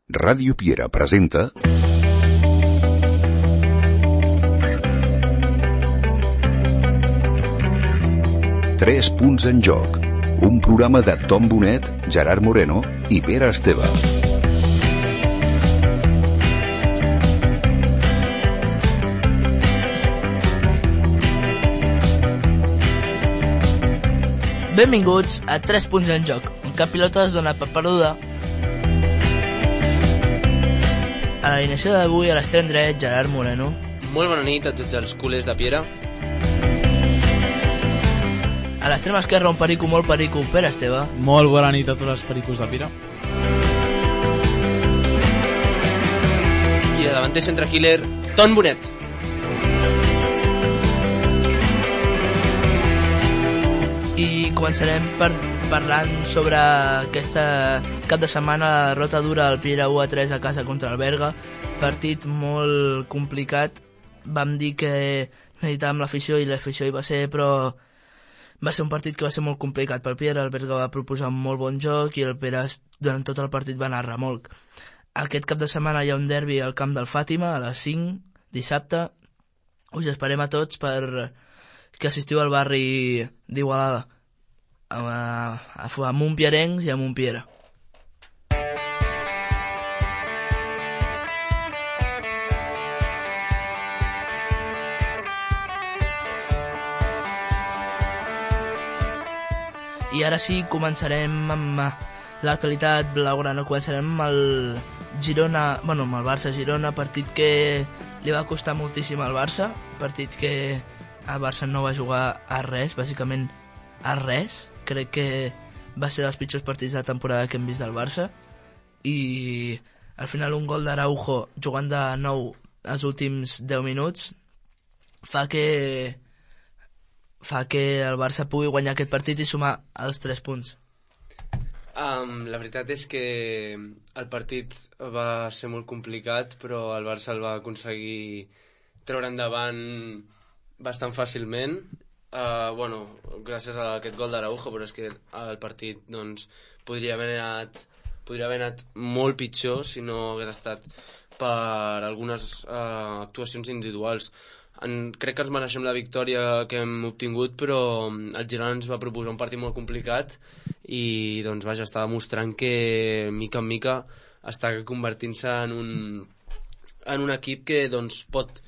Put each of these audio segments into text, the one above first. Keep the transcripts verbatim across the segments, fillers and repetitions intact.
Ràdio Piera presenta Tres punts en joc, un programa de Tom Bonet, Gerard Moreno i Pere Esteve. Benvinguts a Tres punts en joc, un cap pilota es dona per perduda. A l'alineació d'avui, a l'extrem dret, Gerard Moreno. Molt bona nit a tots els culers de Piera. A l'extrem esquerre, un perico molt perico, Pere Esteve. Molt bona nit a tots els pericos de Piera. I a davanter centre killer, Tom Bonet. I començarem per, parlant sobre aquesta cap de setmana, la derrota dura al Piera u a tres a casa contra el Berga. Partit molt complicat. Vam dir que necessitàvem l'afició i l'afició hi va ser, però va ser un partit que va ser molt complicat pel Piera. El Berga va proposar un molt bon joc i el Piera durant tot el partit va anar a remolc. Aquest cap de setmana hi ha un derbi al camp del Fàtima a les cinc, dissabte. Us esperem a tots per que assistiu al barri d'Igualada, a, a, a Montpierencs i a Montpiera. I ara sí, començarem amb l'actualitat blaugrana. Començarem amb el Girona, bueno, amb el Barça-Girona, partit que li va costar moltíssim al Barça, partit que el Barça no va jugar a res, bàsicament a res. Crec que va ser dels pitjors partits de la temporada que hem vist del Barça. I al final un gol d'Araujo jugant de nou els últims deu minuts fa que fa que el Barça pugui guanyar aquest partit i sumar els tres punts. Um, la veritat és que el partit va ser molt complicat, però el Barça el va aconseguir treure endavant bastant fàcilment. Uh, bueno, gràcies a aquest gol d'Araujo, però és que el partit doncs, podria haver anat podria haver anat molt pitjor si no hagués estat per algunes uh, actuacions individuals. En, crec que ens mereixem la victòria que hem obtingut, però el Girona ens va proposar un partit molt complicat i doncs vaja, està demostrant que mica en mica està convertint-se en un, en un equip que doncs, pot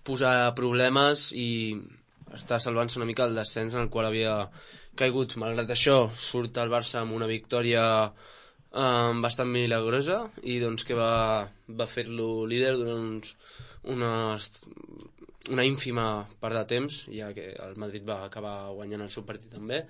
posar problemes i està salvant-se una mica el descens en el qual havia caigut. Malgrat això, surt el Barça amb una victòria eh, bastant milagrosa i doncs que va, va fer-lo líder durant uns, unes, una ínfima part de temps, ja que el Madrid va acabar guanyant el seu partit també.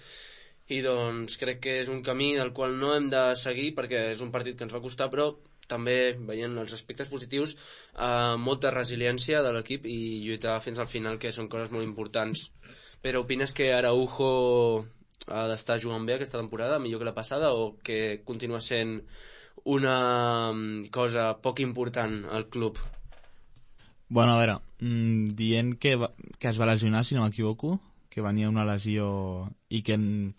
I doncs crec que és un camí del qual no hem de seguir perquè és un partit que ens va costar, però també veient els aspectes positius, eh, molta resiliència de l'equip i lluitar fins al final, que són coses molt importants. Però opines que Araujo ha d'estar jugant bé aquesta temporada, millor que la passada, o que continua sent una cosa poc important al club? Bueno, a veure, mmm, dient que, va, que es va lesionar, si no m'equivoco, que venia una lesió i que... En...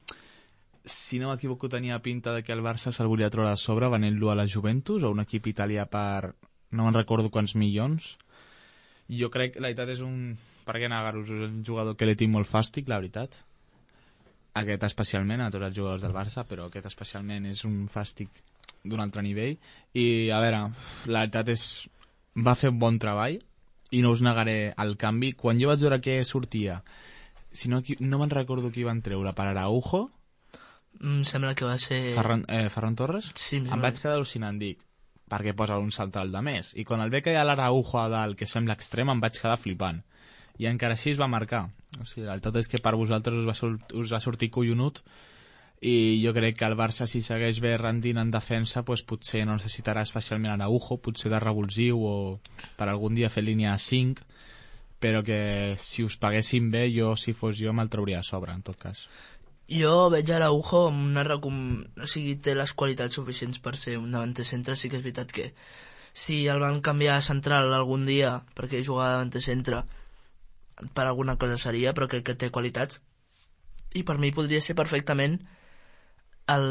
si no m'equivoco tenia pinta de que el Barça se'l volia treure a sobre venent-lo a la Juventus o un equip italià per no me'n recordo quants milions. Jo crec que la veritat és un, per què negar-ho, és un jugador que li tinc molt fàstic, la veritat, aquest especialment, a tots els jugadors del Barça, però aquest especialment és un fàstic d'un altre nivell. I a veure, la veritat és va fer un bon treball i no us negaré el canvi. Quan jo vaig veure que sortia, si no, no me'n recordo qui van treure per Araujo, Em sembla que va ser... Ferran, eh, Ferran Torres? Sí, em, em vaig quedar al·lucinant, dic, perquè posa un central de més. I quan el ve que hi ha l'Araujo a dalt, que sembla extrem, em vaig quedar flipant. I encara així es va marcar. O sigui, la veritat és que per vosaltres us va, sort, us va sortir collonut i jo crec que el Barça, si segueix bé rendint en defensa, doncs potser no necessitarà especialment Araujo, potser de revulsiu o per algun dia fer línia a cinc, però que si us paguessin bé, jo, si fos jo, me'l trauria a sobre, en tot cas. Jo veig a Araujo amb una recom... o sigui, té les qualitats suficients per ser un davanter centre. Sí que és veritat que si el van canviar a central algun dia perquè jugava davanter centre per alguna cosa seria, però crec que té qualitats i per mi podria ser perfectament el,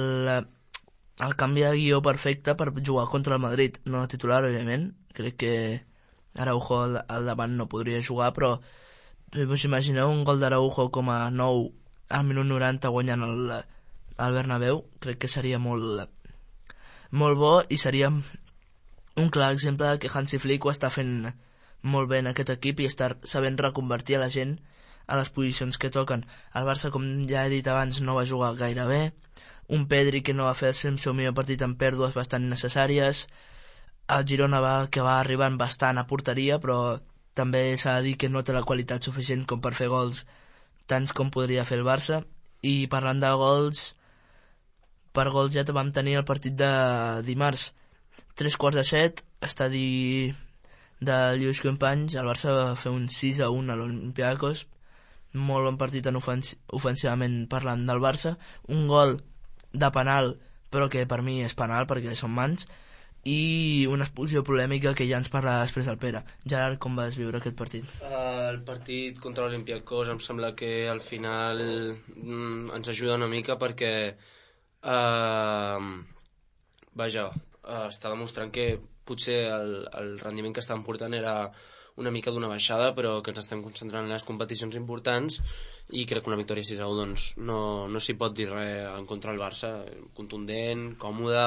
el canvi de guió perfecte per jugar contra el Madrid, no titular, òbviament. Crec que Araujo al, al davant no podria jugar, però us imagineu un gol d'Araujo com a nou al minut noranta guanyant el, el Bernabéu? Crec que seria molt, molt bo i seria un clar exemple de que Hansi Flick ho està fent molt bé en aquest equip i està sabent reconvertir a la gent a les posicions que toquen. El Barça, com ja he dit abans, no va jugar gaire bé. Un Pedri que no va fer el seu millor partit amb pèrdues bastant necessàries. El Girona va, que va arribant bastant a porteria, però també s'ha de dir que no té la qualitat suficient com per fer gols tants com podria fer el Barça. I parlant de gols, per gols ja vam tenir el partit de dimarts. Tres quarts de set, estadi de Lluís Companys, el Barça va fer un sis a un a l'Olympiacos. Molt bon partit en ofens ofensivament parlant del Barça. Un gol de penal, però que per mi és penal perquè són mans, i una expulsió polèmica que ja ens parla després el Pere. Gerard, com vas viure aquest partit? Uh, el partit contra l'Olympiacos em sembla que al final mm, ens ajuda una mica perquè uh, vaja, uh, està demostrant que potser el, el rendiment que estàvem portant era una mica d'una baixada, però que ens estem concentrant en les competicions importants i crec que una victòria sis a u doncs, no, no s'hi pot dir res en contra del Barça. Contundent, còmode,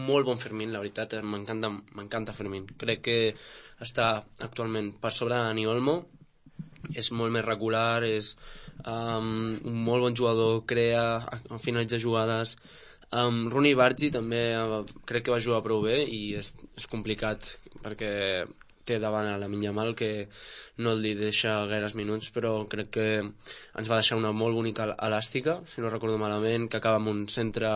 molt bon Fermín, la veritat, m'encanta m'encanta Fermín. Crec que està actualment per sobre de Dani Olmo, és molt més regular, és um, un molt bon jugador, crea, finalitza jugades. Um, Rooney Bargi també uh, crec que va jugar prou bé i és, és complicat perquè té davant a la Yamal que no li deixa gaires minuts, però crec que ens va deixar una molt bonica elàstica, si no recordo malament, que acaba amb un centre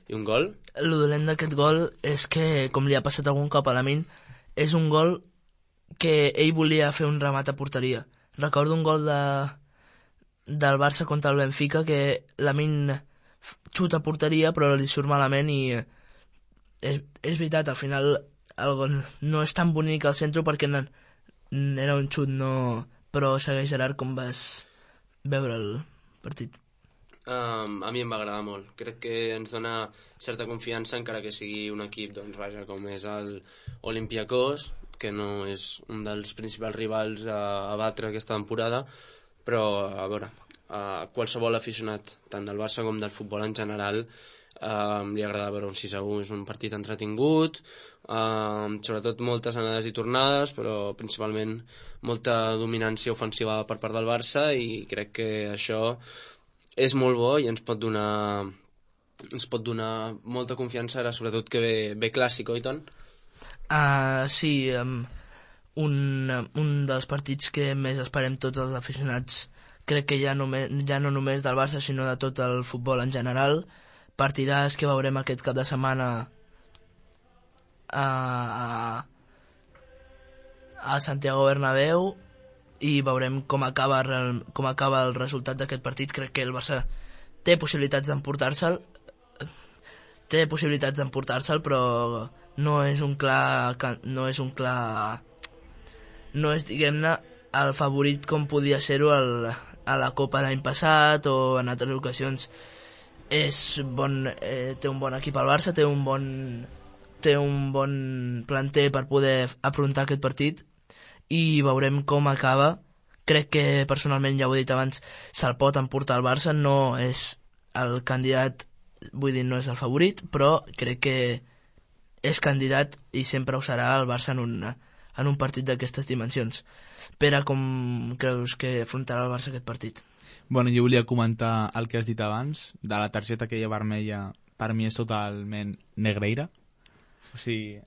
i un gol. El dolent d'aquest gol és que, com li ha passat algun cop a Lamin, és un gol que ell volia fer un remat a porteria. Recordo un gol de, del Barça contra el Benfica que Lamin xuta a porteria però li surt malament i és, és veritat, al final el gol no és tan bonic al centre perquè no, era un xut, no, però segueix, Gerard, com vas veure el partit? Um, a mi em va agradar molt. Crec que ens dona certa confiança, encara que sigui un equip, doncs, vaja, com és el Olympiacos, que no és un dels principals rivals a, a batre aquesta temporada, però, a veure, a qualsevol aficionat, tant del Barça com del futbol en general, Uh, li agrada veure un sis a u. És un partit entretingut, uh, sobretot moltes anades i tornades, però principalment molta dominància ofensiva per part del Barça, i crec que això és molt bo i ens pot donar ens pot donar molta confiança ara, sobretot que ve, ve clàssic, oi tant? Uh, sí, um, un, un dels partits que més esperem tots els aficionats, crec que ja, només, ja no només del Barça sinó de tot el futbol en general. Partidars que veurem aquest cap de setmana a, a, a Santiago Bernabéu i veurem com acaba, com acaba el resultat d'aquest partit. Crec que el Barça té possibilitats d'emportar-se'l té possibilitats d'emportar-se'l però no és un clar no és un clar no és, diguem-ne, el favorit com podia ser-ho a la Copa l'any passat o en altres ocasions. És bon, eh, té un bon equip al Barça, té un bon, té un bon planter per poder afrontar aquest partit i veurem com acaba. Crec que personalment, ja ho he dit abans, se'l pot emportar al Barça, no és el candidat, vull dir, no és el favorit, però crec que és candidat i sempre ho serà el Barça en un, en un partit d'aquestes dimensions. Pere, com creus que afrontarà el Barça aquest partit? Bueno, jo volia comentar el que has dit abans, de la targeta aquella vermella, per mi és totalment negreira. O sigui,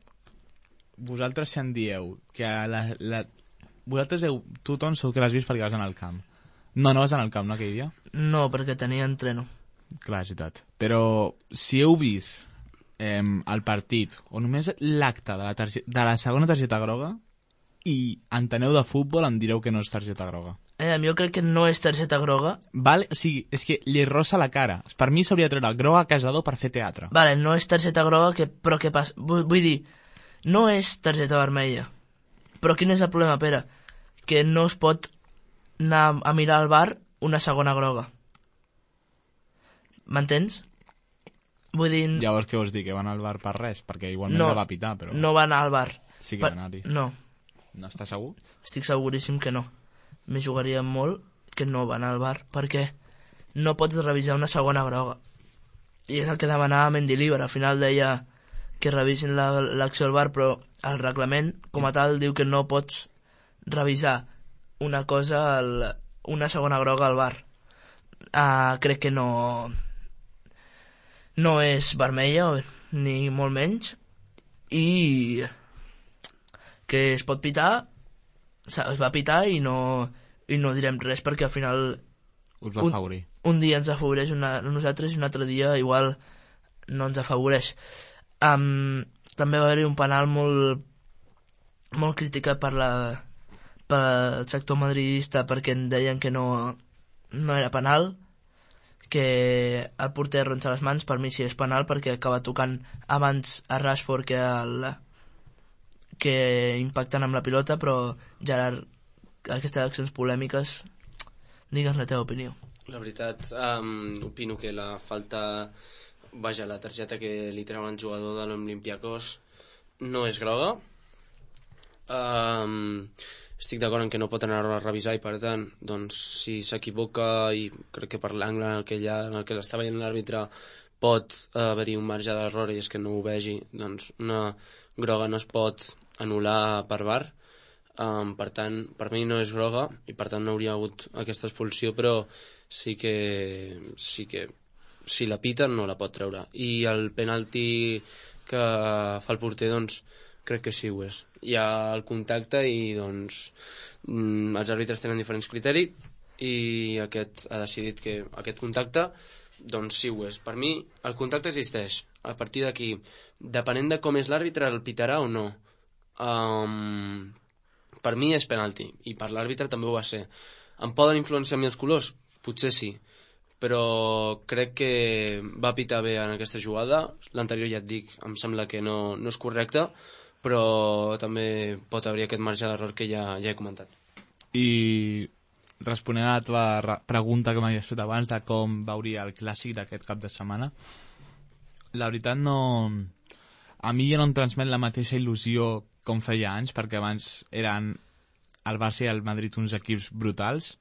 vosaltres si en dieu que la, la... vosaltres heu... tu, Ton, segur que l'has vist perquè vas anar al camp. No, no vas anar al camp, no, aquell dia? No, perquè tenia entreno. Clar, és veritat. Però si heu vist eh, el partit, o només l'acte de, la targeta, de la segona targeta groga, i enteneu de futbol, em direu que no és targeta groga. Eh, jo crec que no és targeta groga. Vale, o sigui, és que li rossa la cara. Per mi s'hauria de treure groga a Casador per fer teatre. Vale, no és targeta groga, que, però què passa? Vull, vull dir, no és targeta vermella. Però quin és el problema, Pere? Que no es pot anar a mirar al bar una segona groga. M'entens? Vull dir... Llavors què vols dir, que van al bar per res? Perquè igualment no, no va pitar, però... No va anar al bar. Sí que va anar-hi. No. No estàs segur? Estic seguríssim que no. Me jugaria molt que no va anar al bar, perquè no pots revisar una segona groga. I és el que demanava Mendilibar. Al final deia que revisin l'acció al bar, però el reglament, com a tal, diu que no pots revisar una cosa, al, una segona groga al bar. Uh, crec que no... no és vermella, ni molt menys, i que es pot pitar, es va pitar i no, i no direm res perquè al final us va afavorir. Un, un dia ens afavoreix una, nosaltres i un altre dia igual no ens afavoreix. Um, també va haver-hi un penal molt, molt criticat per, la, per el sector madridista perquè en deien que no, no era penal, que el porter arronsa les mans. Per mi sí és penal perquè acaba tocant abans a Rashford que, el, que impacten amb la pilota, però Gerard, aquestes accions polèmiques, digues la teva opinió. La veritat, um, opino que la falta, vaja, la targeta que li treuen al jugador de l'Olympiacos no és groga. Um, estic d'acord en que no pot anar a revisar i per tant, doncs, si s'equivoca i crec que per l'angle en el que, ja, en el que l'està veient l'àrbitre pot haver-hi un marge d'error i és que no ho vegi, doncs una groga no es pot anul·lar per V A R. Um, per tant, per mi no és groga i per tant no hauria hagut aquesta expulsió, però sí que, sí que si la piten no la pot treure. I el penalti que fa el porter, doncs crec que sí ho és. Hi ha el contacte i doncs mm, els àrbitres tenen diferents criteris i aquest ha decidit que aquest contacte doncs sí ho és. Per mi el contacte existeix. A partir d'aquí, depenent de com és l'àrbitre, el pitarà o no. Um, per mi és penalti i per l'àrbitre també ho va ser. Em poden influenciar a mi els colors? Potser sí, però crec que va pitar bé en aquesta jugada. L'anterior, ja et dic, em sembla que no, no és correcte, però també pot haver aquest marge d'error que ja, ja he comentat. I responent a la teva pregunta que m'havies fet abans de com veuria el clàssic d'aquest cap de setmana, la veritat no... A mi ja no em transmet la mateixa il·lusió com feia anys, perquè abans eren el Barça i el Madrid uns equips brutals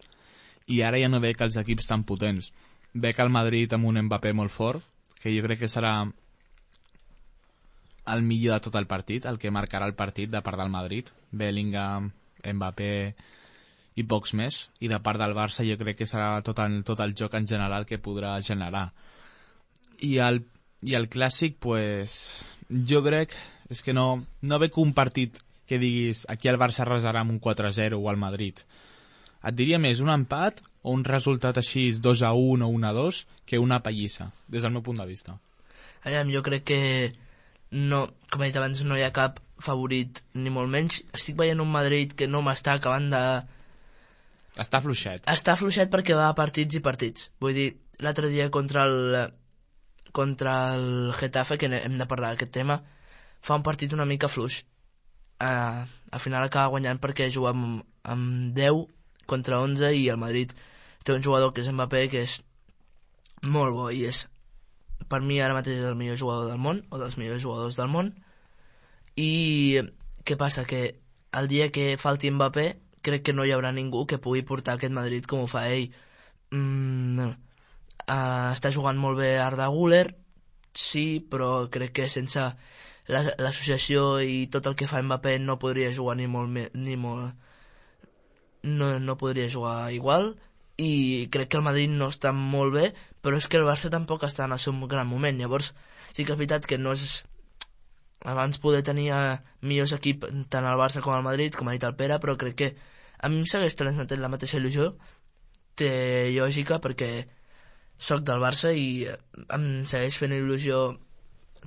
i ara ja no veig els equips tan potents. Veig el Madrid amb un Mbappé molt fort, que jo crec que serà el millor de tot el partit, el que marcarà el partit de part del Madrid. Bellingham, Mbappé i pocs més. I de part del Barça jo crec que serà tot el, tot el joc en general que podrà generar. I el, i el clàssic, pues, jo crec és que no, no veig un partit que diguis aquí el Barça arrasarà amb un quatre a zero o al Madrid. Et diria més un empat o un resultat així dos a un o un a dos que una pallissa, des del meu punt de vista. Aviam, jo crec que no, com he dit abans, no hi ha cap favorit ni molt menys. Estic veient un Madrid que no m'està acabant de... Està fluixet. Està fluixet perquè va a partits i partits. Vull dir, l'altre dia contra el contra el Getafe, que hem de parlar d'aquest tema, fa un partit una mica fluix. Uh, al final acaba guanyant perquè juga amb, amb deu contra onze i el Madrid té un jugador que és Mbappé, que és molt bo i és, per mi ara mateix és el millor jugador del món o dels millors jugadors del món. I què passa? Que el dia que falti Mbappé crec que no hi haurà ningú que pugui portar aquest Madrid com ho fa ell. mm, uh, està jugant molt bé Arda Güler, sí, però crec que sense l'associació i tot el que fa Mbappé no podria jugar ni molt més, ni molt no, no podria jugar igual. I crec que el Madrid no està molt bé, però és que el Barça tampoc està en el seu gran moment. Llavors sí que és veritat que no és... Abans poder tenir millors equips tant el Barça com el Madrid, com ha dit el Pere, però crec que a mi em segueix transmetent la mateixa il·lusió. Té lògica perquè soc del Barça i em segueix fent il·lusió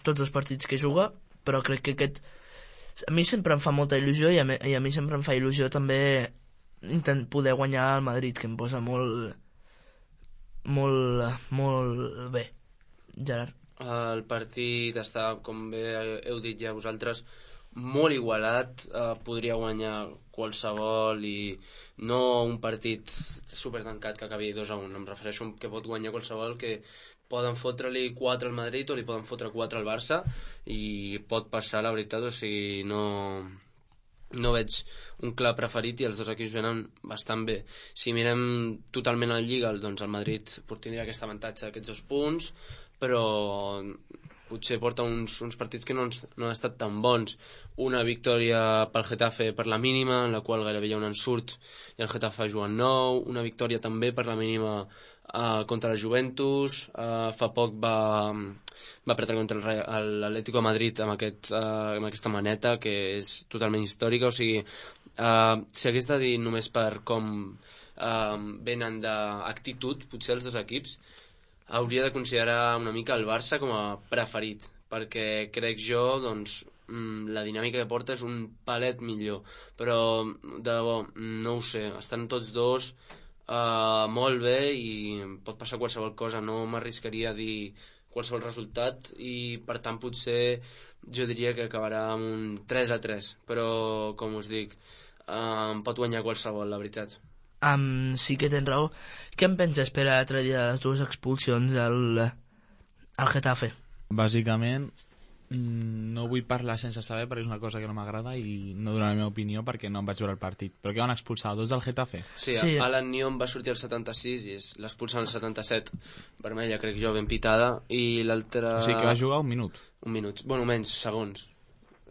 tots els partits que juga, però crec que aquest... A mi sempre em fa molta il·lusió i a mi, i a mi sempre em fa il·lusió també intent poder guanyar el Madrid, que em posa molt molt molt bé. Gerard. El partit està, com bé heu dit ja vosaltres, molt igualat. Eh, podria guanyar qualsevol i no un partit supertancat que acabi dos a un. Em refereixo que pot guanyar qualsevol que poden fotre-li quatre al Madrid o li poden fotre quatre al Barça i pot passar, la veritat, o sigui, no, no veig un clar preferit i els dos equips venen bastant bé. Si mirem totalment a la Lliga, doncs el Madrid tindria aquest avantatge d'aquests dos punts, però potser porta uns, uns partits que no han, no han estat tan bons. Una victòria pel Getafe per la mínima, en la qual gairebé hi ha un ensurt i el Getafe juga en nou, una victòria també per la mínima uh, contra la Juventus, uh, fa poc va, va perdre contra el l'Atlético de Madrid amb, aquest, uh, amb aquesta maneta que és totalment històrica, o sigui, uh, si hagués de dir només per com uh, venen d'actitud, potser els dos equips, hauria de considerar una mica el Barça com a preferit, perquè crec jo, doncs, la dinàmica que porta és un palet millor, però de debò, no ho sé, estan tots dos uh, molt bé i pot passar qualsevol cosa, no m'arriscaria a dir qualsevol resultat i per tant potser jo diria que acabarà amb un tres a tres, però com us dic, uh, pot guanyar qualsevol, la veritat. Um, sí que tens raó. Què en penses per a l'altre dia de les dues expulsions al, al Getafe? Bàsicament, no vull parlar sense saber perquè és una cosa que no m'agrada i no donaré la meva opinió perquè no em vaig veure el partit. Però què van expulsar? Dos del Getafe? Sí, sí. Alan Nyon va sortir al setanta-sis i l'expulsen al setanta-set, vermella, crec jo, ben pitada, i l'altre... O sigui que va jugar un minut? Un minut, bueno, menys, segons.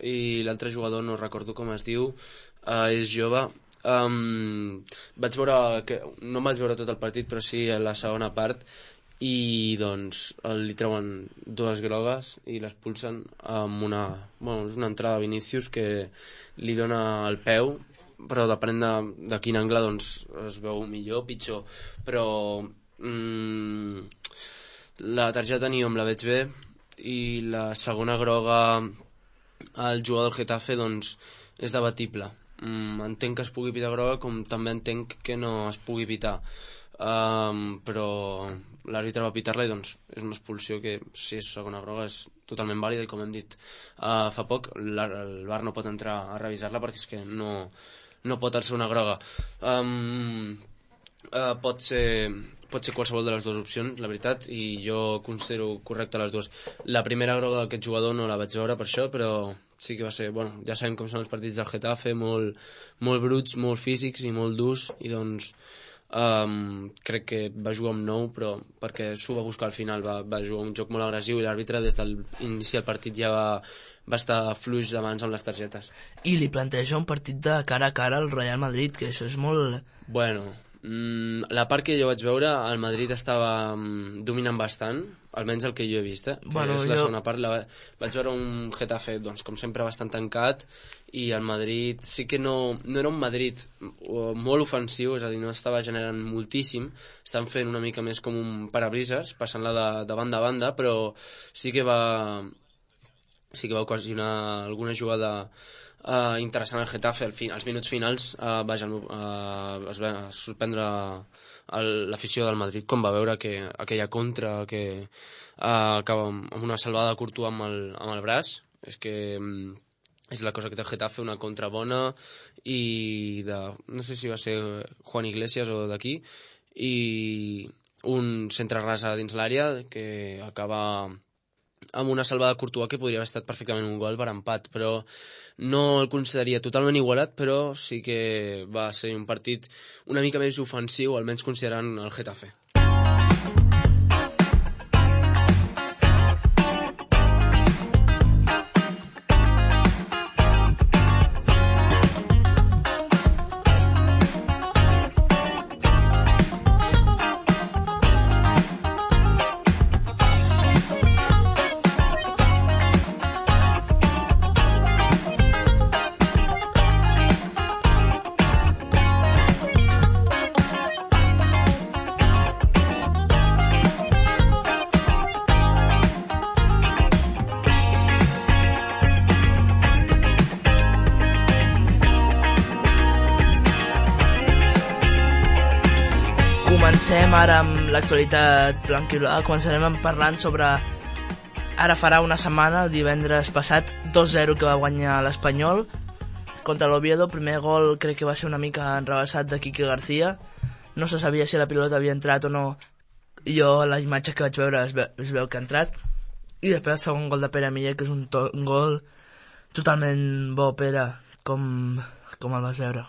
I l'altre jugador, no recordo com es diu, uh, és jove. Um, vaig veure que, no em vaig veure tot el partit, però sí a la segona part, i doncs li treuen dues grogues i l'expulsen amb una, bueno, és una entrada a Vinícius que li dona el peu, però depenent de, de quin angle doncs es veu millor, pitjor, però mm, la targeta ni em la veig bé i la segona groga al jugador del Getafe doncs és debatible. Mm, entenc que es pugui pitar groga com també entenc que no es pugui pitar, um, però l'àrbitre va pitar-la i doncs és una expulsió que si és segona groga és totalment vàlida i com hem dit uh, fa poc el V A R no pot entrar a revisar-la perquè és que no, no pot ser una groga. um, uh, pot ser pot ser qualsevol de les dues opcions, la veritat, i jo considero correcte les dues. La primera groga d'aquest jugador no la vaig veure per això, però sí que va ser, bueno, ja sabem com són els partits del Getafe, molt, molt bruts, molt físics i molt durs, i doncs um, crec que va jugar amb nou, però perquè s'ho va buscar al final, va, va jugar un joc molt agressiu i l'àrbitre des de l'inici del partit ja va, va estar fluix de mans amb les targetes. I li planteja un partit de cara a cara al Real Madrid, que això és molt... Bueno, mm, la part que jo vaig veure, el Madrid estava mm, dominant bastant, almenys el que jo he vist, eh? Bueno, que és la jo... segona part, la, vaig veure un Getafe, doncs, com sempre, bastant tancat, i el Madrid sí que no, no era un Madrid molt ofensiu, és a dir, no estava generant moltíssim, estan fent una mica més com un parabrises, passant-la de, de banda a banda, però sí que va sí que va ocasionar alguna jugada uh, interessant al Getafe, al fin, als minuts finals uh, vaja, uh, es va sorprendre l'afició del Madrid com va veure que aquella contra que uh, acaba amb una salvada de Courtois amb el, amb el braç, és que um, és la cosa que té el Getafe, una contra bona i de, no sé si va ser Juan Iglesias o d'aquí, i un centre ras a dins l'àrea que acaba amb una salvada de Courtois que podria haver estat perfectament un gol per empat, però no el consideraria totalment igualat, però sí que va ser un partit una mica més ofensiu, almenys considerant el Getafe. Comencem ara amb l'actualitat blanquiblava. Començarem parlant sobre... Ara farà una setmana, el divendres passat, dos zero que va guanyar l'Espanyol contra l'Oviedo. Primer gol crec que va ser una mica enrebaçat de Quique García. No se sabia si la pilota havia entrat o no jo a la imatge que vaig veure es veu, es veu que ha entrat, i després el segon gol de Pere Miller, que és un, to, un gol totalment bo. Pere, com, com el vas veure?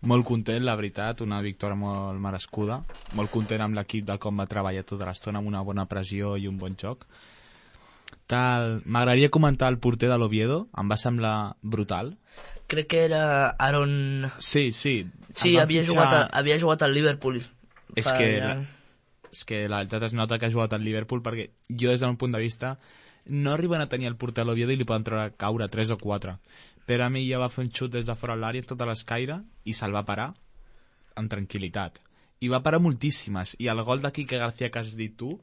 Molt content, la veritat, una victòria molt merescuda, molt content amb l'equip de com va treballar tota l'estona, amb una bona pressió i un bon joc. Tal... M'agradaria comentar el porter de l'Oviedo, em va semblar brutal. Crec que era Aaron... Sí, sí. Sí, havia, fitxar... jugat a, havia jugat al Liverpool. És fa... que, la... és que la veritat es nota que ha jugat al Liverpool, perquè jo des del meu punt de vista no arriben a tenir el porter a l'Oviedo i li poden treure caure tres o quatre. Però a mi ja va fer un xut des de fora l'àrea tota l'escaire i se'l va parar amb tranquil·litat. I va parar moltíssimes. I el gol de Quique García que has dit tu,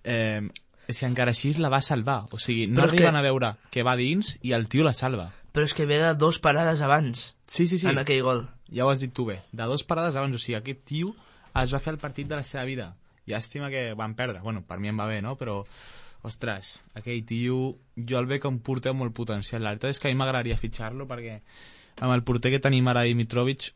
eh, és que encara així la va salvar. O sigui, no arriben que... a veure que va dins i el tio la salva. Però és que ve de dos parades abans. Sí, sí, sí. En aquell gol. Ja ho has dit tu bé. De dos parades abans. O sigui, aquest tio es va fer el partit de la seva vida. Llàstima que van perdre. Bueno, per mi em va bé, no? Però, ostres, aquell tio, jo el veig com porter molt potencial. La veritat és que a mi m'agradaria fitxar-lo perquè amb el porter que tenim ara, Dimitrovic,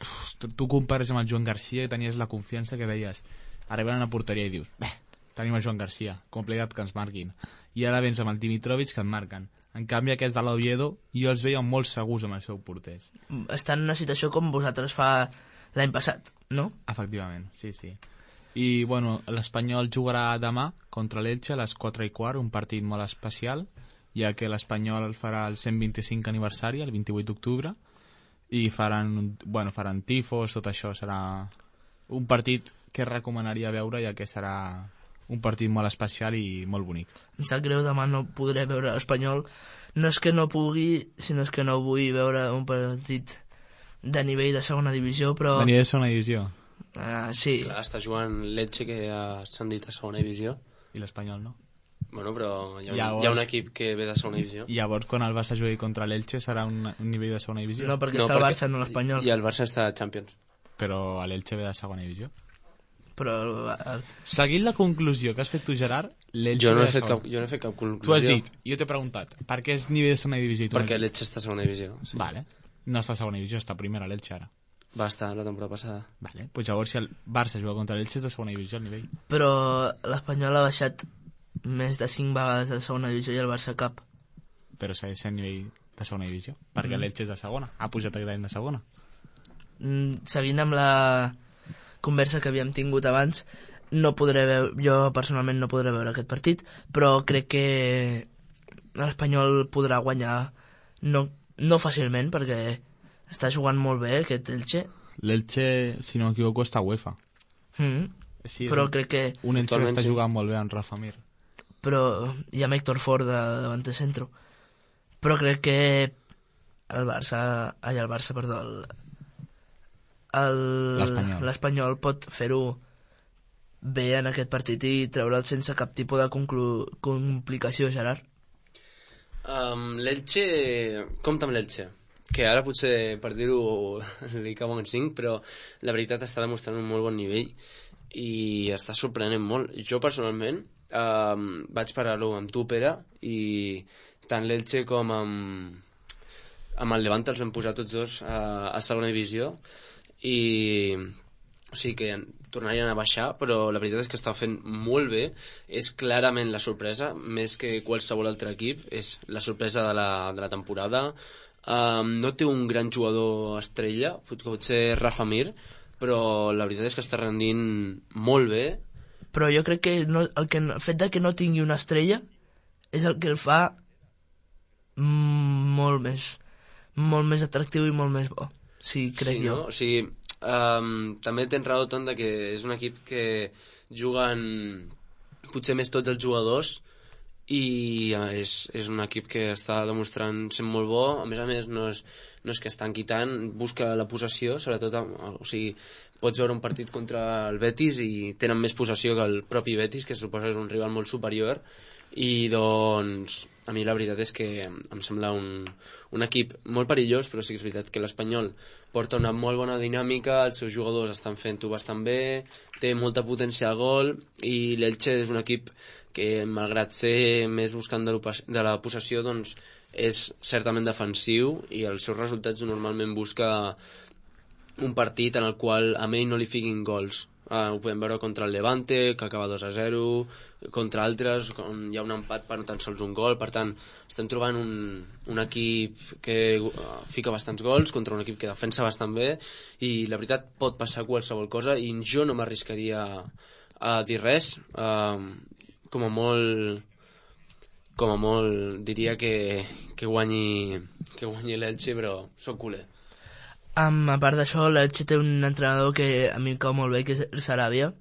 uf, tu compares amb el Joan Garcia i tenies la confiança que deies. Arriben a una porteria i dius, bé, tenim el Joan Garcia, complicat que ens marquin. I ara vens amb el Dimitrovic que et marquen. En canvi, aquests de l'Oviedo, jo els veia molt segurs amb els seus porters. Estan en una situació com vosaltres fa l'any passat, no? Efectivament, sí, sí. I, bueno, l'Espanyol jugarà demà contra l'Elche a les quatre i quart, un partit molt especial, ja que l'Espanyol farà el cent vint-i-cinc aniversari, el vint-i-vuit d'octubre, i faran, bueno, faran tifos, tot això serà un partit que recomanaria veure, ja que serà un partit molt especial i molt bonic. Em sap greu, demà no podré veure l'Espanyol. No és que no pugui, sinó és que no vull veure un partit de nivell de segona divisió, però... De nivell de segona divisió? Uh, sí. Clar, està jugant l'Elche, que ja s'han dit a segona divisió. I l'Espanyol no? Bueno, però hi ha, llavors, hi ha un equip que ve de segona divisió. I llavors, quan el Barça jugui contra l'Elche, serà un, un nivell de segona divisió? No, perquè no, està el perquè... Barça, no l'Espanyol. I el Barça està a Champions. Però l'Elche ve de segona divisió. Però... El... Seguint la conclusió que has fet tu, Gerard, l'Elche jo no ve he de fet segona. cap, jo no he fet cap conclusió. Tu has dit, jo t'he preguntat, per què és nivell de segona divisió? I tu perquè l'Elche està a segona divisió. Sí. Vale. No està a segona divisió, està a primera l'Elche ara. Va estar la temporada passada. Vale. Pues llavors si el Barça juga contra l'Elche és de segona divisió al nivell. Però l'Espanyol ha baixat més de cinc vegades de segona divisió i el Barça cap. Però segueix sent nivell de segona divisió, perquè mm. l'Elche és de segona. Ha pujat aquest any de segona. Mm, seguint amb la conversa que havíem tingut abans, no podré veure, jo personalment no podré veure aquest partit, però crec que l'Espanyol podrà guanyar no, no fàcilment, perquè està jugant molt bé aquest Elche. L'Elche, si no m'equivoco, està a UEFA. Mm. Sí, però crec que... Un Elche que està jugant molt bé amb Rafa Mir. Però hi ha Héctor Ford de, davant de centro. Però crec que el Barça... Ai, el Barça, perdó. L'Espanyol pot fer-ho bé en aquest partit i treure'l sense cap tipus de conclu... complicació, Gerard. Um, L'Elche... Compte amb l'Elche. Que ara potser, per dir-ho, li cauen cinc, però la veritat està demostrant un molt bon nivell i està sorprenent molt. Jo, personalment, um, vaig parar-lo amb tu, Pere, i tant l'Elche com amb, amb el Levante els vam posar tots dos a, a segona divisió i o sigui que tornarien a baixar, però la veritat és que està fent molt bé. És clarament la sorpresa, més que qualsevol altre equip, és la sorpresa de la, de la temporada. Um, no té un gran jugador estrella, potser Rafa Mir, però la veritat és que està rendint molt bé. Però jo crec que no, el, que, el fet de que no tingui una estrella és el que el fa molt més molt més atractiu i molt més bo, sí, crec sí, jo. No? O sigui, um, també tens raó, Ton, de que és un equip que juguen potser més tots els jugadors i és, és un equip que està demostrant ser molt bo. A més a més no és, no és que estan quitant, busca la possessió, sobretot, o sigui, pots veure un partit contra el Betis i tenen més possessió que el propi Betis, que suposa és un rival molt superior, i doncs a mi la veritat és que em sembla un, un equip molt perillós, però sí que és veritat que l'Espanyol porta una molt bona dinàmica, els seus jugadors estan fent-ho bastant bé, té molta potència a gol, i l'Elche és un equip que, malgrat ser més buscant de, de la possessió, doncs és certament defensiu i els seus resultats normalment busca un partit en el qual a ell no li fiquin gols. Uh, ho podem veure contra el Levante, que acaba dos a zero, contra altres, on hi ha un empat per no tan sols un gol. Per tant, estem trobant un, un equip que uh, fica bastants gols contra un equip que defensa bastant bé, i la veritat pot passar qualsevol cosa, i jo no m'arriscaria a dir res. Uh, com a molt... com a molt diria que, que guanyi, que guanyi l'Elche, però soc culer. Um, a part d'això, l'Elche té un entrenador que a mi em cau molt bé, que és Sarabia.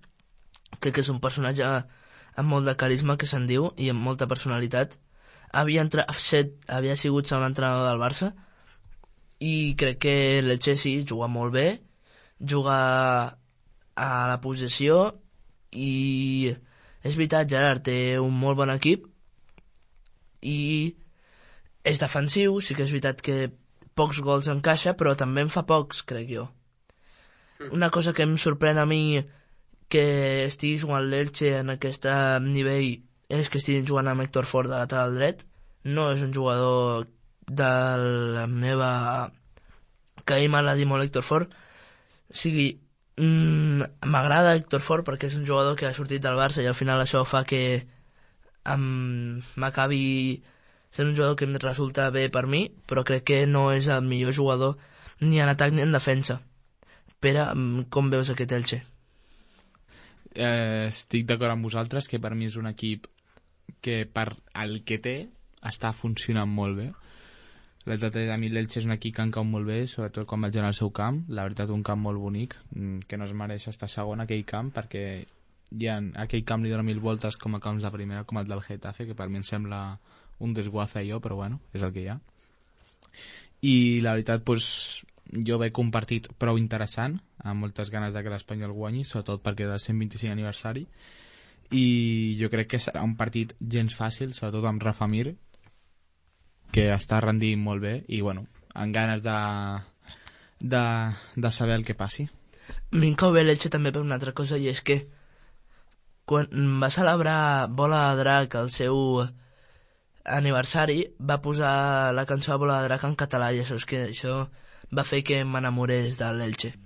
Crec que és un personatge amb molt de carisma, que se'n diu, i amb molta personalitat. Havia, entre... set, havia sigut segon entrenador del Barça, i crec que l'Elche sí, juga molt bé, juga a la possessió, i és veritat, Gerard té un molt bon equip, i és defensiu, sí que és veritat que pocs gols encaixa, però també en fa pocs, crec jo. Una cosa que em sorprèn a mi que estigui jugant l'Elche en aquest nivell és que estiguin jugant amb Héctor Fort de lateral dret. No és un jugador de la meva... que a mi m'agradi molt Héctor Fort. O sigui, mmm, m'agrada Héctor Fort perquè és un jugador que ha sortit del Barça i al final això fa que m'acabi sent un jugador que em resulta bé per mi, però crec que no és el millor jugador ni en atac ni en defensa. Pere, com veus aquest Elche? Eh, estic d'acord amb vosaltres que per mi és un equip que per el que té està funcionant molt bé. La veritat és, a mi l'Elche és un equip que em cau molt bé, sobretot quan vaig anar al seu camp. La veritat, un camp molt bonic, que no es mereix estar segon aquell camp, perquè hi ha, aquell camp li dona mil voltes com a camps de primera, com el del Getafe, que per mi em sembla un desguaza jo, però bueno, és el que hi ha. I la veritat, doncs, jo veig un partit prou interessant, amb moltes ganes de que l'Espanyol guanyi, sobretot perquè del cent vint-i-cinc aniversari, i jo crec que serà un partit gens fàcil, sobretot amb Rafa Mir, que està rendint molt bé, i bueno, amb ganes de, de, de saber el que passi. A mi em cau bé l'Elche també per una altra cosa, i és que quan va celebrar Bola de Drac el seu aniversari, va posar la cançó Bola de Drac en català, i això és que això va fer que m'enamorés de l'Elche.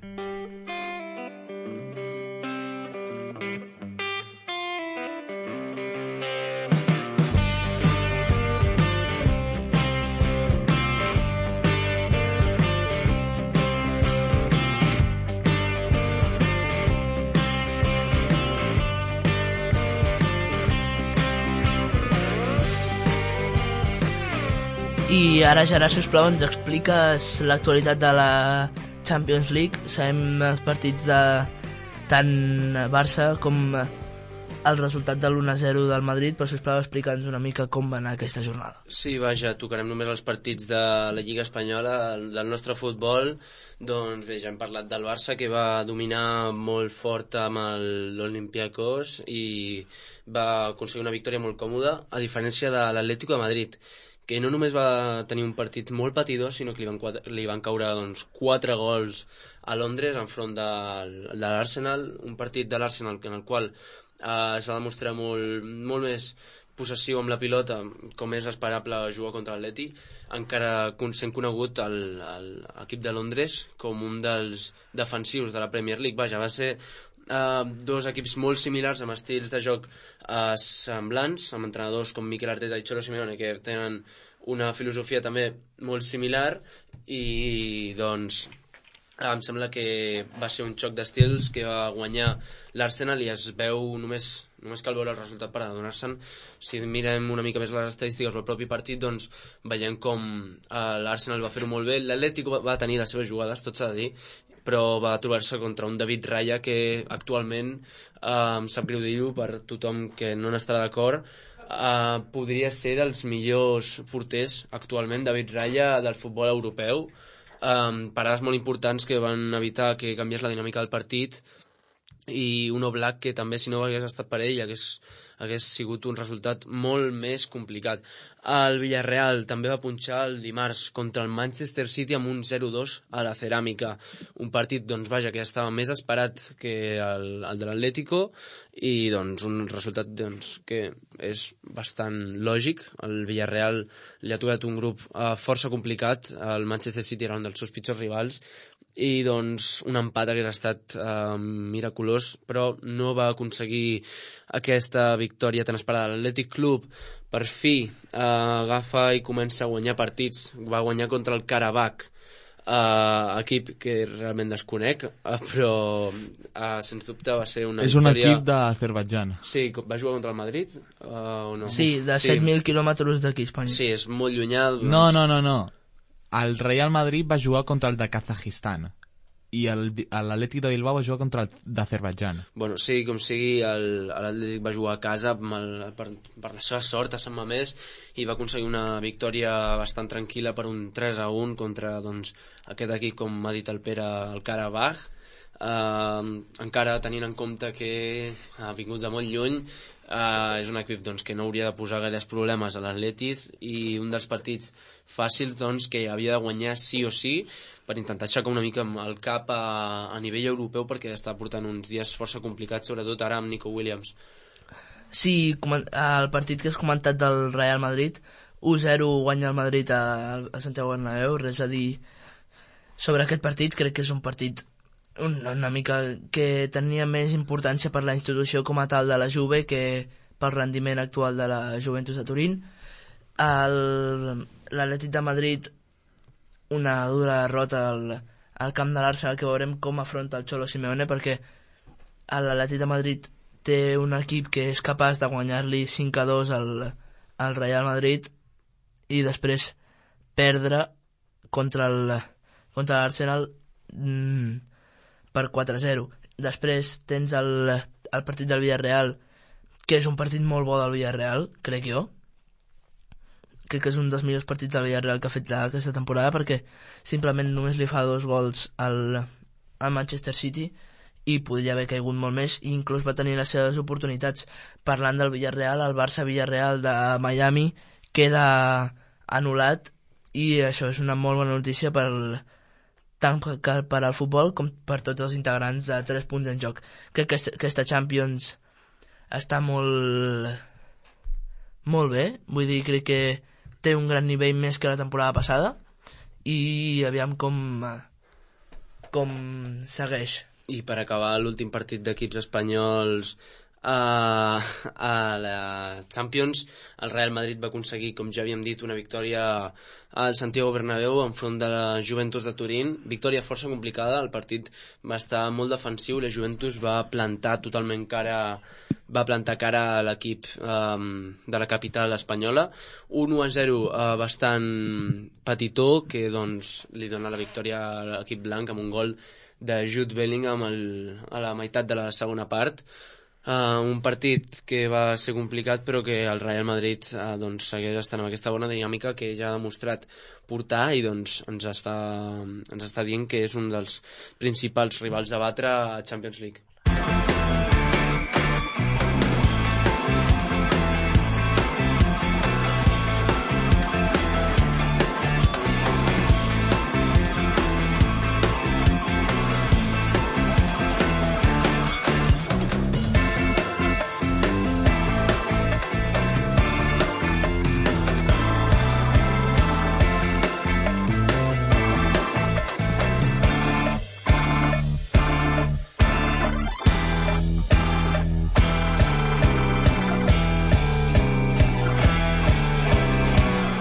I ara, Gerard, sisplau, ens expliques l'actualitat de la Champions League. Sabem els partits de tant Barça com el resultat de l'u a zero del Madrid, però sisplau, explica'ns una mica com va anar aquesta jornada. Sí, vaja, tocarem només els partits de la Lliga Espanyola, del nostre futbol. Doncs bé, ja hem parlat del Barça, que va dominar molt fort amb l'Olympiacos i va aconseguir una victòria molt còmoda, a diferència de l'Atlético de Madrid, que no només va tenir un partit molt patidor, sinó que li van, quatre, li van caure doncs, quatre gols a Londres enfront de, de l'Arsenal, un partit de l'Arsenal en el qual eh, es va demostrar molt, molt més possessiu amb la pilota, com és esperable jugar contra l'Atleti, encara sent conegut l'equip de Londres com un dels defensius de la Premier League. Vaja, va ser Uh, dos equips molt similars, amb estils de joc uh, semblants, amb entrenadors com Mikel Arteta i Cholo Simeone, que tenen una filosofia també molt similar, i doncs uh, em sembla que va ser un xoc d'estils que va guanyar l'Arsenal, i es veu només, només cal veure el resultat per adonar-se'n. Si mirem una mica més les estadístiques del propi partit, doncs veiem com uh, l'Arsenal va fer-ho molt bé. L'Atlético va tenir les seves jugades, tot s'ha de dir, però va trobar-se contra un David Raya que actualment, eh, em sap greu dir-ho per tothom que no n'estarà d'acord, eh, podria ser dels millors porters actualment, David Raya, del futbol europeu. Eh, parades molt importants que van evitar que canviés la dinàmica del partit, i un Oblak que també, si no hagués estat per ell, hagués hagués sigut un resultat molt més complicat. El Villarreal també va punxar el dimarts contra el Manchester City amb un zero dos a la Ceràmica. Un partit, doncs, vaja, que estava més esperat que el, el de l'Atlético i, doncs, un resultat doncs, que és bastant lògic. El Villarreal li ha tocat un grup eh, força complicat. El Manchester City era un dels seus pitjors rivals i, doncs, un empat hagués estat eh, miraculós, però no va aconseguir aquesta victòria tan esperada. L'Atlètic Club per fi eh, agafa i comença a guanyar partits. Va guanyar contra el Karabakh, eh, equip que realment desconec, eh, però eh, sens dubte va ser una és un victòria... equip d'Azerbaidjan. Sí, va jugar contra el Madrid eh, o no? Sí, de sí. set mil quilòmetres d'aquí, Espanya. Sí, és molt llunyà. Doncs... No, no, no, no. El Real Madrid va jugar contra el de Kazajistan i l'Atlètic de Bilbao va jugar contra el d'Azerbaidjan. Bueno, sí, com sigui, l'Atlètic va jugar a casa el, per, per la seva sort a Sant Mamés i va aconseguir una victòria bastant tranquil·la per un tres a un contra doncs, aquest equip, com m'ha dit el Pere, el Karabakh. Uh, encara tenint en compte que ha vingut de molt lluny, uh, és un equip doncs, que no hauria de posar gaires problemes a l'Atlètic i un dels partits fàcils doncs, que havia de guanyar sí o sí per intentar aixecar una mica el cap a, a nivell europeu, perquè està portant uns dies força complicats, sobretot ara amb Nico Williams. Sí, el partit que has comentat del Real Madrid, u zero guanya el Madrid a, a Santiago Bernabéu, res a dir sobre aquest partit. Crec que és un partit una, una mica que tenia més importància per la institució com a tal de la Juve que pel rendiment actual de la Juventus de Turín. L'Atlètic de Madrid, una dura derrota al, al camp de l'Arsenal, que veurem com afronta el Cholo Simeone, perquè l'Atlètic de Madrid té un equip que és capaç de guanyar-li cinc a dos al, al Real Madrid i després perdre contra el contra l'Arsenal mmm, per quatre a zero. Després tens el, el partit del Villarreal, que és un partit molt bo del Villarreal, crec jo. Crec que és un dels millors partits del Villarreal que ha fet aquesta temporada, perquè simplement només li fa dos gols al, al Manchester City i podria haver caigut molt més, i inclús va tenir les seves oportunitats. Parlant del Villarreal, el Barça-Villarreal de Miami queda anul·lat, i això és una molt bona notícia per, tant per al futbol com per tots els integrants de tres punts en joc. Crec que aquesta Champions està molt molt bé, vull dir, crec que té un gran nivell més que la temporada passada, i aviam com com segueix. I per acabar, l'últim partit d'equips espanyols a, a la Champions, el Real Madrid va aconseguir, com ja havíem dit, una victòria al Santiago Bernabéu enfront de la Juventus de Turín. Victòria força complicada, el partit va estar molt defensiu, la Juventus va plantar totalment cara va plantar cara a l'equip um, de la capital espanyola. Un u a zero uh, bastant petitó, que doncs li dona la victòria a l'equip blanc amb un gol de Jude Bellingham el, a la meitat de la segona part. Uh, un partit que va ser complicat, però que el Real Madrid uh, doncs, segueix estant amb aquesta bona dinàmica que ja ha demostrat portar, i doncs ens està, ens està dient que és un dels principals rivals a batre a Champions League.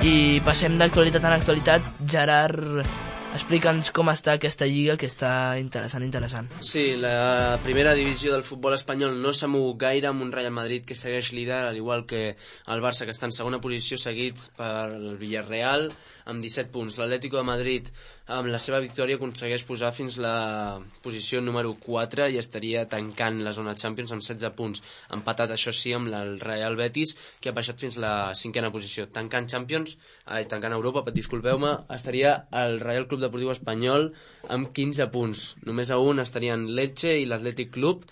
I passem d'actualitat en actualitat. Gerard, explica'ns com està aquesta lliga, que està interessant, interessant. Sí, la primera divisió del futbol espanyol no s'ha mogut gaire, amb un Real Madrid que segueix líder, al igual que el Barça, que està en segona posició, seguit per el Villarreal amb disset punts. L'Atlético de Madrid, amb la seva victòria, aconsegueix posar fins la posició número quatre i estaria tancant la zona Champions amb setze punts. Empatat, això sí, amb el Real Betis, que ha baixat fins la cinquena posició. Tancant Champions, ai, tancant Europa, disculpeu-me, estaria el Real Club Deportiu Espanyol amb quinze punts. Només a un estarien l'Elche i l'Atlètic Club,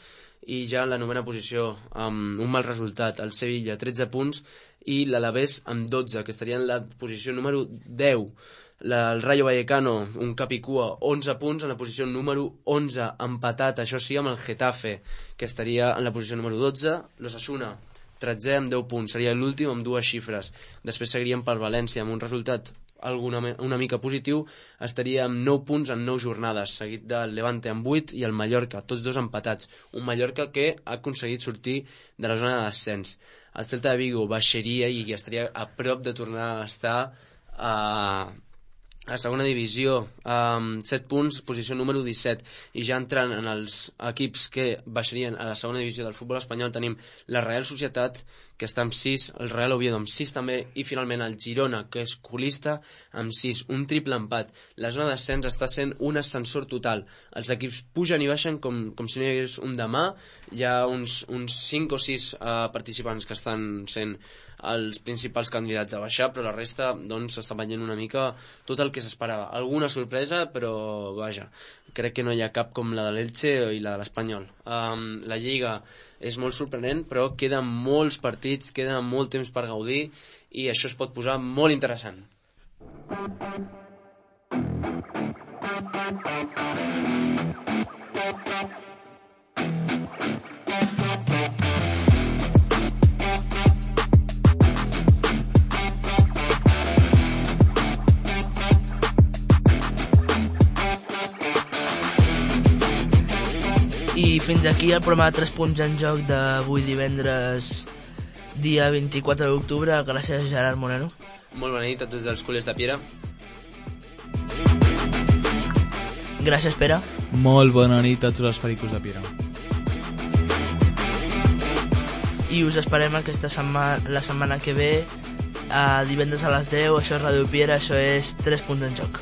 i ja en la novena posició amb un mal resultat, el Sevilla tretze punts i l'Alavés amb dotze, que estaria en la posició número deu. La, el Rayo Vallecano, un cap i cua, onze punts en la posició número onze, empatat, això sí, amb el Getafe, que estaria en la posició número dotze. L'Osasuna, tretzè amb deu punts, seria l'últim amb dues xifres. Després seguiríem per València amb un resultat alguna, una mica positiu, estaria amb nou punts en nou jornades, seguit del Levante amb vuit i el Mallorca, tots dos empatats. Un Mallorca que ha aconseguit sortir de la zona de descens. El Celta de Vigo baixaria i estaria a prop de tornar a estar a... a segona divisió, amb set punts, posició número disset, i ja entrant en els equips que baixarien a la segona divisió del futbol espanyol tenim la Real Societat, que està amb sis, el Real Oviedo amb sis també, i finalment el Girona, que és colista, amb sis, un triple empat. La zona d'ascens està sent un ascensor total. Els equips pugen i baixen com, com si no hi hagués un demà. Hi ha uns, uns cinc o sis uh, participants que estan sent els principals candidats a baixar, però la resta doncs s'està veient una mica tot el que s'esperava. Alguna sorpresa, però vaja, crec que no hi ha cap com la de l'Elche i la de l'Espanyol. Um, la Lliga és molt sorprenent, però queden molts partits, queda molt temps per gaudir i això es pot posar molt interessant. I fins aquí el programa de tres punts en joc d'avui divendres, dia vint-i-quatre d'octubre. Gràcies, Gerard Moreno. Molt bona nit a tots els culers de Piera. Gràcies, Pere. Molt bona nit a tots els pericos de Piera. I us esperem aquesta setmana, la setmana que ve, a divendres a les deu. Això és Ràdio Piera, això és tres punts en joc.